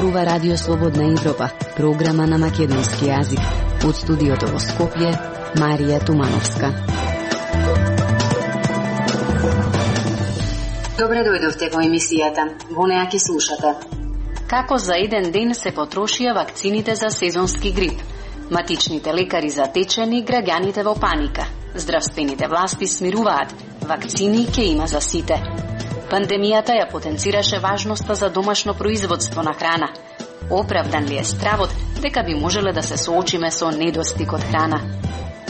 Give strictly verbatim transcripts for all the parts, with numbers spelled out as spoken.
зборува Радио Слободна Европа, програма на македонски јазик. Од студиото во Скопје, Марија Тумановска. Добре дојдовте во емисијата. Во неа ќе слушате. Како за еден ден се потрошија вакцините за сезонски грип? Матичните лекари затечени, граѓаните во паника. Здравствените власти смируваат. Вакцини ќе има за сите. Пандемијата ја потенцираше важноста за домашно производство на храна. Оправдан ли е стравот дека би можеле да се соочиме со недостиг од храна?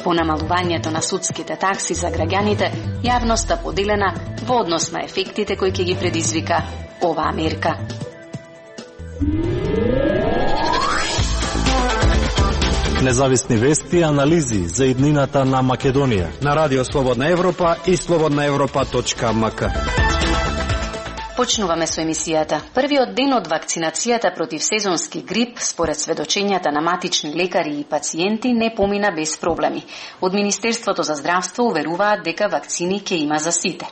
По намалувањето на судските такси за граѓаните, јавноста поделена во однос на ефектите кои ќе ги предизвика оваа мерка. Независни вести и анализи за иднината на Македонија на Радио Слободна Европа и слободна европа точка ем ка. Почнуваме со емисијата. Првиот ден од вакцинацијата против сезонски грип, според сведочењата на матични лекари и пациенти, не помина без проблеми. Од Министерството за здравство уверуваат дека вакцини ќе има за сите.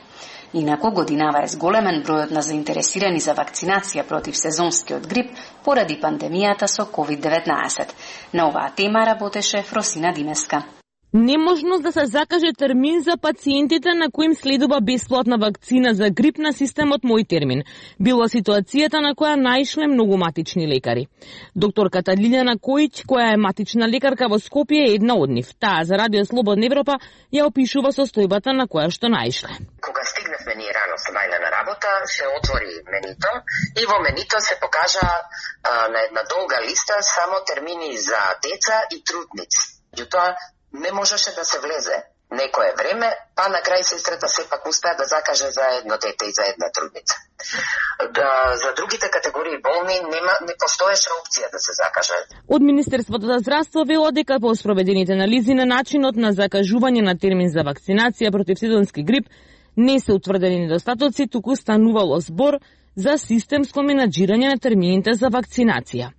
Инаку годинава е зголемен бројот на заинтересирани за вакцинација против сезонскиот грип поради пандемијата со ковид деветнаесет. На оваа тема работеше Фросина Димеска. Неможност да се закаже термин за пациентите на кои им следува бесплатна вакцина за грип на системот Мој термин. Била ситуацијата на која наишле многу матични лекари. Докторката Лилјана Којич, која е матична лекарка во Скопје, е една од нив. Таа за Радио Слободна Европа ја опишува состојбата на која што наишле. Кога стигнавме ние рано со Мајна на работа, се отвори менито и во менито се покажа а, на една долга листа само термини за деца и трудници. Јутоа не можеше да се влезе некое време, па на крај сестрата сепак успеа да закаже за едно дете и за една трудница. Да, за другите категории болни нема, не постоеше опција да се закаже. Од Министерството за здравство велат дека по спроведените анализи на начинот на закажување на термин за вакцинација против сезонски грип не се утврдени недостатоци, туку станувало збор за системско менаџирање на термините за вакцинација.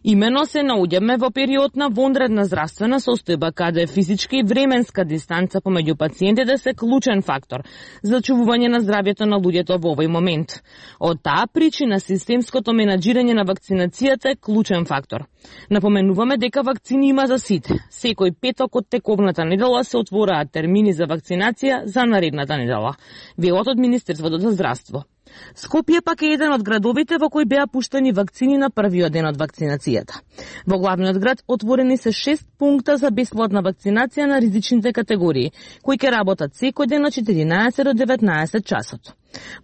Имено се наоѓаме во период на вонредна здравствена состојба, каде физичка и временска дистанца помеѓу пациентите се клучен фактор за чувување на здравјето на луѓето во овој момент. Од таа причина системското менаџирање на вакцинацијата е клучен фактор. Напоменуваме дека вакцини има за сите. Секој петок од тековната недела се отвораат термини за вакцинација за наредната недела. Велат од Министерството за здравство. Скопје пак е еден од градовите во кои беа пуштени вакцини на првиот ден од вакцинацијата. Во главниот град отворени се шест пункта за бесплатна вакцинација на ризичните категории, кои ќе работат секој ден од четиринаесет до деветнаесет часот.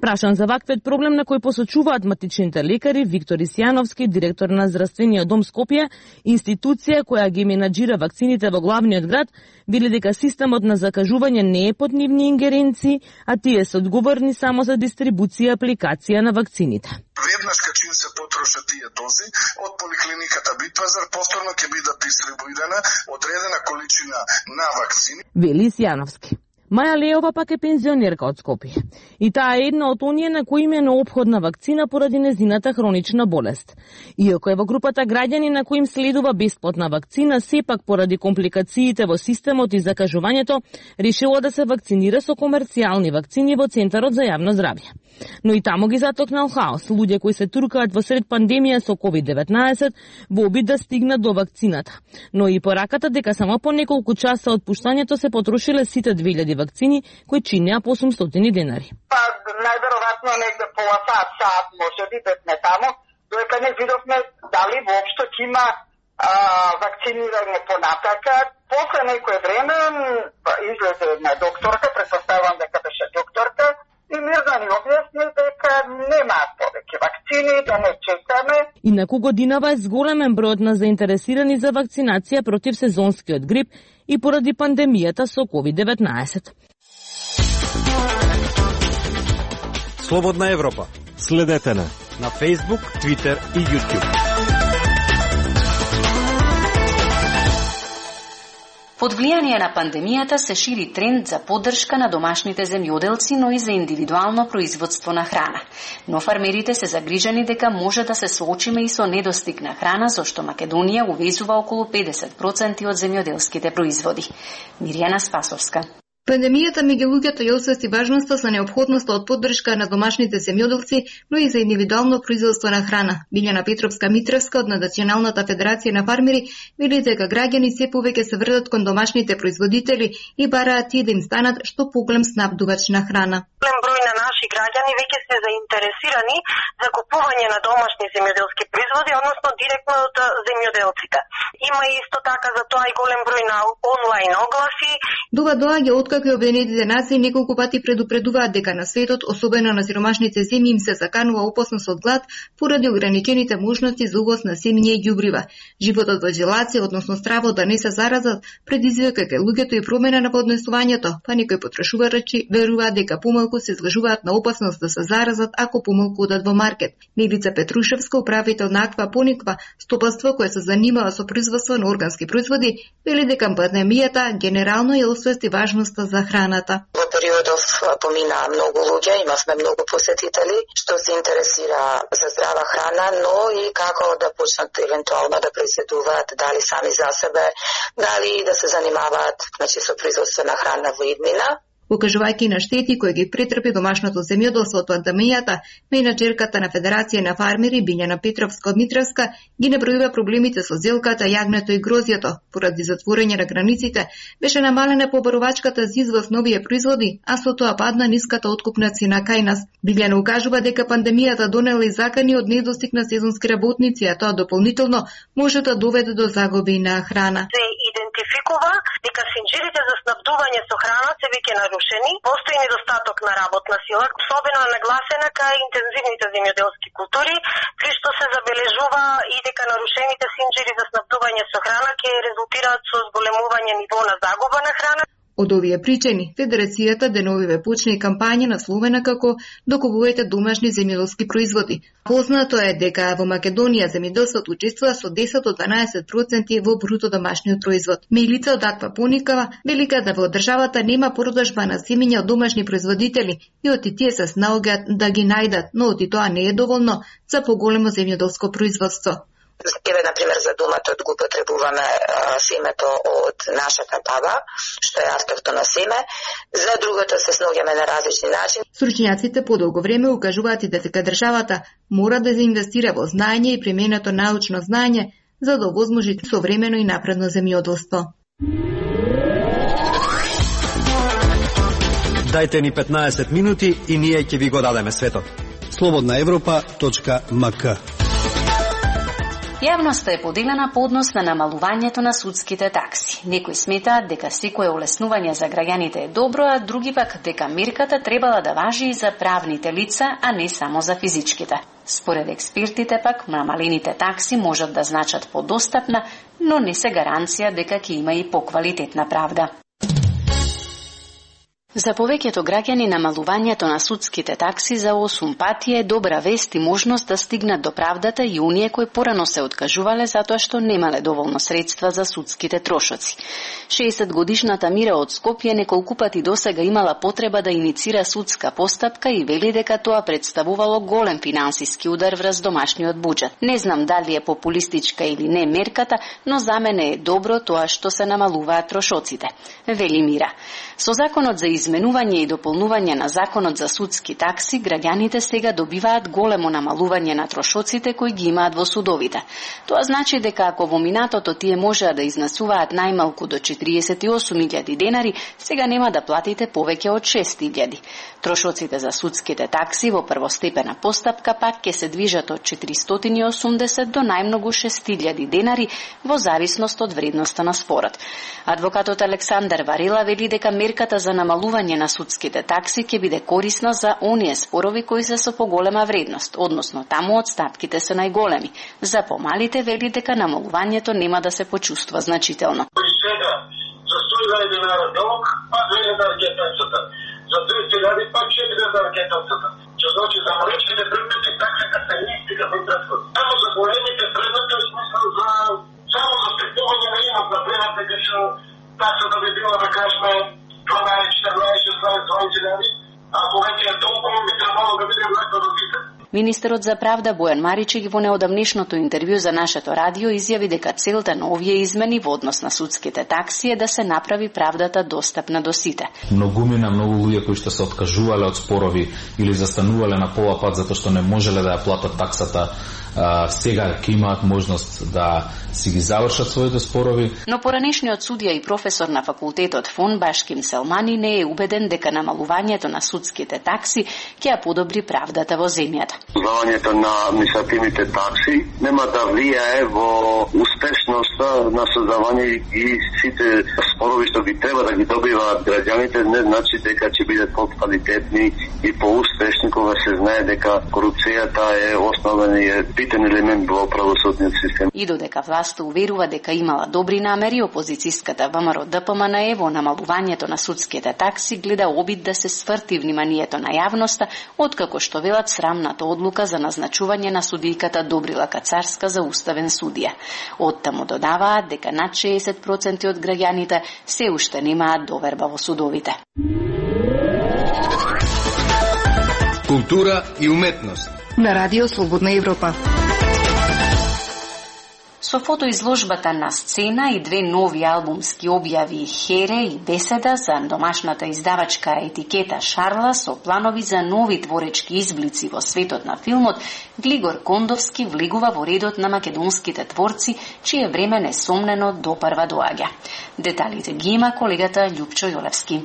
Прашан за ваквиот проблем на кој посочуваат матичните лекари, Виктор Исјановски, директор на Здравствениот дом Скопје, институција која ги менаџира вакцините во главниот град, вели дека системот на закажување не е под нивни ингеренции, а тие се одговорни само за дистрибуција и апликација на вакцините. Веднаш кај се потрошат тие дози од поликлиниката Битпазар, повторно ќе бидат дистрибуирана одредена количина на вакцини. Вели Исјановски. Маја Леова пак е пензионерка од Скопје. И таа е една од оние на кои им е неопходна вакцина поради незината хронична болест. Иако е во групата граѓани на кои им следува бесплатна вакцина, сепак поради компликациите во системот и закажувањето, решила да се вакцинира со комерцијални вакцини во Центарот за јавно здравје. Но и таму ги затокнал хаос. Луѓе кои се туркаат во сред пандемија со ковид деветнаесет во обид да стигнат до вакцината. Но и пораката дека само по неколку часа од пуштањето се потрошиле сите две илјади вакцини кои чинеа по осумстотини денари. Па најверојатно негде пола сат, сат може би бевме таму, додека не видовме дали воопшто ќе има а, вакцинирање понатака. После некое време излезе една докторка, претпоставувам дека беше докторка, и мирно ни објасни дека немаат повеќе вакцини, да не чекаме. Инаку годинава е зголемен бројот на заинтересирани за вакцинација против сезонскиот грип и поради пандемијата со ковид деветнаесет. Слободна Европа. Следете на на Facebook, Twitter и YouTube. Под влијание на пандемијата се шири тренд за поддршка на домашните земјоделци, но и за индивидуално производство на храна. Но фармерите се загрижени дека може да се соочиме и со недостиг на храна, зашто Македонија увезува околу педесет проценти од земјоделските производи. Мирјана Спасовска. Пандемијата меѓу луѓето ја освести важноста со неопходноста од поддршка на домашните земјоделци, но и за индивидуално производство на храна. Билјана Петровска-Митровска од Националната федерација на фармери вели дека граѓани се повеќе се вртат кон домашните производители и бараат тие да им станат што поголем снабдувач на храна. Голем број на наши граѓани веќе се заинтересирани за купување на домашни земјоделски производи, односно директно од земјоделците. Има исто така за тоа и голем број на онлайн огласи. Дова доаѓа откако и Обединетите нации неколку пати предупредуваат дека на светот, особено на сиромашните земји, им се заканува опасност од глад поради ограничените можности за увоз на семиња и ѓубрива. Животот во изолација, односно стравот да не се заразат, предизвика кај луѓето и промена на поднесувањето, па некои потрошувачи веруваат дека помалку се изложуваат на опасност да се заразат ако помалку одат во маркет. Милица Петрушевска, управител на Аквапониква, стопанство кое се занимава со производство на органски производи, вели дека пандемијата генерално ја освести важноста за храната. Во периодов поминаа многу луѓе, имавме многу посетители што се интересира за здрава храна, но и како да почнат евентуално да произведуваат, дали сами за себе, дали да се занимаваат, значи, со производство на храна во иднина. Укажувајќи на штети кои ги претрпи домашното земјоделство од пандемијата, менаџерката на Федерација на фармери Билјана Петровска-Митровска ги набројува проблемите со зелката, јагнето и грозјето. Поради затворање на границите, беше намалена побаровачката за извоз нови производи, а со тоа падна ниската откупна цена кај нас. Билјана укажува дека пандемијата донела и закани од недостиг на сезонски работници, а тоа дополнително може да доведе до загуби на храна. Се идентификува дека синџирите за снабдување со храна се веќе нарушени, постои недостаток на работна сила, особено нагласена кај интензивните земјоделски култури, при што се забележува и дека нарушените синџири за снабдување со храна ќе резултираат со зголемување ниво на загуба на храна. Од овие причини, Федерацијата деновиве почна и кампања насловена како "Докупувајте домашни земјоделски производи". Познато е дека во Македонија земјоделството учествува со десет до дванаесет проценти во бруто домашниот производ. Милица од Аквапоникава вели да во државата нема продажба на семиња од домашни производители и од тие се снаоѓаат да ги најдат, но од тоа не е доволно за поголемо земјоделско производство. Еве, например, за доматот го потребуваме а, семето од нашата баба, што е автохтоно семе. За другото се снаоѓаме на различни начини. Стручњаците подолго време укажуваат и дека државата мора да се инвестира во знаење и применето научно знаење за да овозможи современо и напредно земјоделство. Дајте ни петнаесет минути и ние ќе ви го дадеме светот. слободна европа точка ем ка. Јавноста е поделена по однос на намалувањето на судските такси. Некои сметаат дека секое олеснување за граѓаните е добро, а други пак дека мерката требала да важи и за правните лица, а не само за физичките. Според експертите пак, намалените такси можат да значат подостапна, но не се гаранција дека ќе има и поквалитетна правда. За повеќето граѓани намалувањето на судските такси за осум пати е добра вест и можност да стигнат до правдата и оние кои порано се откажувале затоа што немале доволно средства за судските трошоци. шеесет годишната Мира од Скопје неколку пати досега имала потреба да иницира судска постапка и вели дека тоа представувало голем финансиски удар врз домашниот буџет. Не знам дали е популистичка или не мерката, но за мене е добро тоа што се намалуваат трошоците, вели Мира. Со законот за изменување и дополнување на законот за судски такси, граѓаните сега добиваат големо намалување на трошоците кои ги имаат во судовите. Тоа значи дека ако во минатото тие можеа да изнесуваат најмалку до четириесет и осум илјади денари, сега нема да платите повеќе од шест илјади. Трошоците за судските такси во првостепена постапка пак ќе се движат од четиристотини и осумдесет до најмногу шест илјади денари во зависност од вредноста на спорот. Адвокатот Александар Варела вели дека мерката за намалување на судските такси ќе биде корисна за оние спорови кои се со поголема вредност, односно таму отстапките се најголеми. За помалите вели дека намалувањето нема да се почувствува значително. За сто илјади денара долг, па две илјади ракетата. За триста илјади, па четири илјади ракетата. Че значи за малечките предмети таксата се нистика во пресход. Само за големите предмети, в смисъл за само за стекување на имот, например, дека што таксата би била, да кажеме, дванаесет, четирнаесет, шеснаесет, дваесет илјади, ако веќе е толкова, би требало да биде влеко развита. Министерот за правда Бојан Маричек во неодамнешното интервју за нашето радио изјави дека целта на овие измени во однос на судските такси е да се направи правдата достапна до сите. Многумина, многу луѓе кои што се откажувале од спорови или застанувале на пола пат затоа што не можеле да ја платат таксата, а, сега ќе имаат можност да си ги завршат своите спорови. Но поранешниот судија и професор на факултетот Фон Башким Селмани не е убеден дека намалувањето на судските такси ќе ја подобри правдата во земјата. Намалувањето на административните такси нема да влијае во успешноста на создавање и сите спорови што ги треба да ги добиваат граѓаните, не значи дека ќе бидат поквалитетни и поуспешни кога се знае дека корупцијата е основен и битен елемент во правосудниот систем. И додека власта уверува дека имала добри намери, опозицијската ВМРО Д П М Н Е во намалувањето на судските такси гледа обид да се сврти вниманието на јавноста, откако што велат срамната одлука за назначување на судијката Добрила Кацарска за уставен судија. Оттаму додаваат дека над шеесет проценти од граѓаните се уште немаат доверба во судовите. Култура и уметност на Радио Слободна Европа. Со фотоизложбата На сцена и две нови албумски објави Хере и Беседа за домашната издавачка етикета Шарла со планови за нови творечки изблици во светот на филмот, Глигор Кондовски влегува во редот на македонските творци, чие време несомнено допрва доаѓа. Деталите ги има колегата Љупчо Јолевски.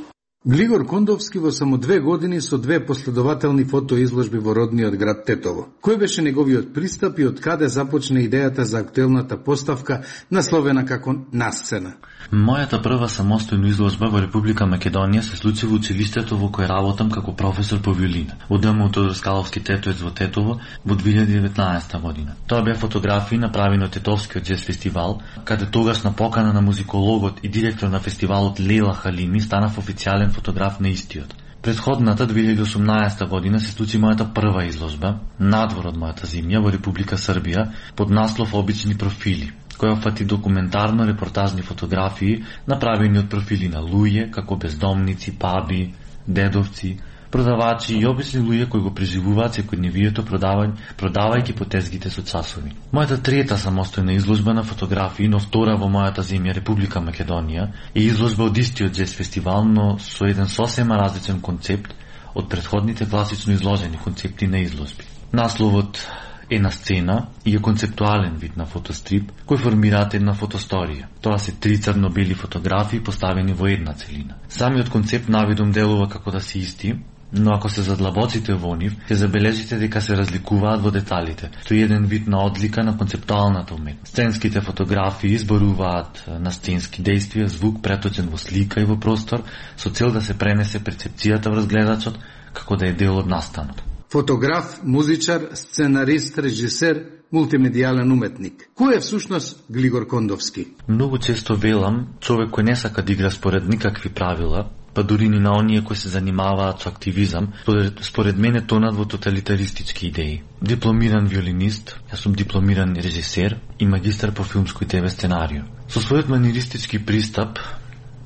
Глигор Кондовски во само две години со две последователни фотоизложби во родниот град Тетово. Кој беше неговиот пристап и од каде започна идејата за актуелната поставка насловена како На сцена? Мојата прва самостојна изложба во Република Македонија се случи во училиштето во кој работам како професор по виолина, во Д М Тодор Скаловски Тетоец во Тетово во две илјади и деветнаесета година. Тоа беа фотографии направени од Тетовскиот џез фестивал, каде тогаш на покана на музикологот и директор на фестивалот Лейла Халими станав официјален фотограф на истиот. Предходната две илјади и осумнаесета година се случи мојата прва изложба надвор од мојата земја во Република Србија под наслов Обични профили, која фати документарно репортажни фотографии направени од профили на луѓе како бездомници, паби, дедовци, продавачи и обични луѓе кои го преживуваат секојдневието продавај, продавајќи по тезгите со часови. Мојата трета самостојна изложба на фотографии, но втора во мојата земја Република Македонија, е изложба од истиот џез фестивал, но со еден сосема различен концепт од претходните класично изложени концепти на изложби. Насловот е На сцена и е концептуален вид на фотострип кој формираат една фотосторија. Тоа се три црно-бели фотографии поставени во една целина. Самиот концепт навидом делува како да се исти, но ако се задлабоците во нив, ќе забележите дека се разликуваат во деталите, што е еден вид на одлика на концептуалната уметност. Сценските фотографии изборуваат на сценски действија, звук преточен во слика и во простор, со цел да се пренесе перцепцијата врз гледачот, како да е дел од настанот. Фотограф, музичар, сценарист, режисер, мултимедијален уметник. Кој е всушност Глигор Кондовски? Многу често велам, човек кој не сака да игра според никакви правила, па дури ни на оние кои се занимаваат со активизам, според, според мене тонат во тоталитаристички идеи. Дипломиран виолинист, јас сум дипломиран режисер и магистар по филмско и ТВ сценарио. Со својот маниристички пристап,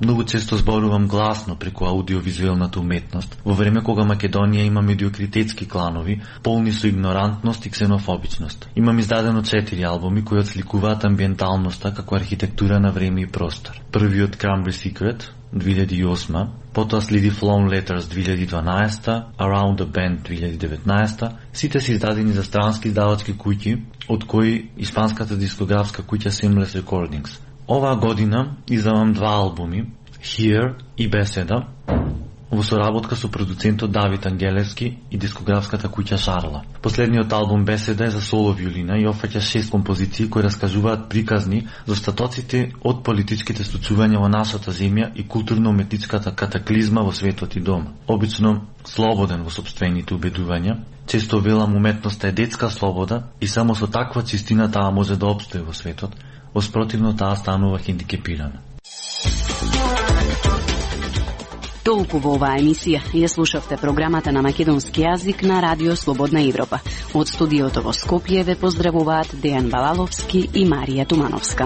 многу често зборувам гласно преку аудиовизуелната уметност, во време кога Македонија има медиокритетски кланови, полни со игнорантност и ксенофобичност. Имам издадено четири албуми кои отсликуваат амбиенталноста како архитектура на време и простор. Првиот Cranberry Secret, две илјади и осма, потоа следи Flown Letters две илјади и дванаесета, Around the Bend две илјади и деветнаесета, сите се издадени за странски издавачки куќи, од кои испанската дискографска куќа Seamless Recordings. Оваа година издавам два албуми, Here и Беседа, во соработка со продуцентот Давид Ангелевски и дискографската куќа Шарла. Последниот албум Беседа е за соло виолина и опфаќа шест композиции кои раскажуваат приказни за остатоците од политичките случувања во нашата земја и културно-уметничката катаклизма во светот и дома. Обично слободен во сопствените убедувања, често велам уметноста е детска слобода и само со таква чистина таа може да опстои во светот, воспротивно таа станува хендикепирана. Толку во оваа емисија ја слушавте програмата на македонски јазик на Радио Слободна Европа. Од студиото во Скопје ве поздравуваат Дејан Балаловски и Марија Тумановска.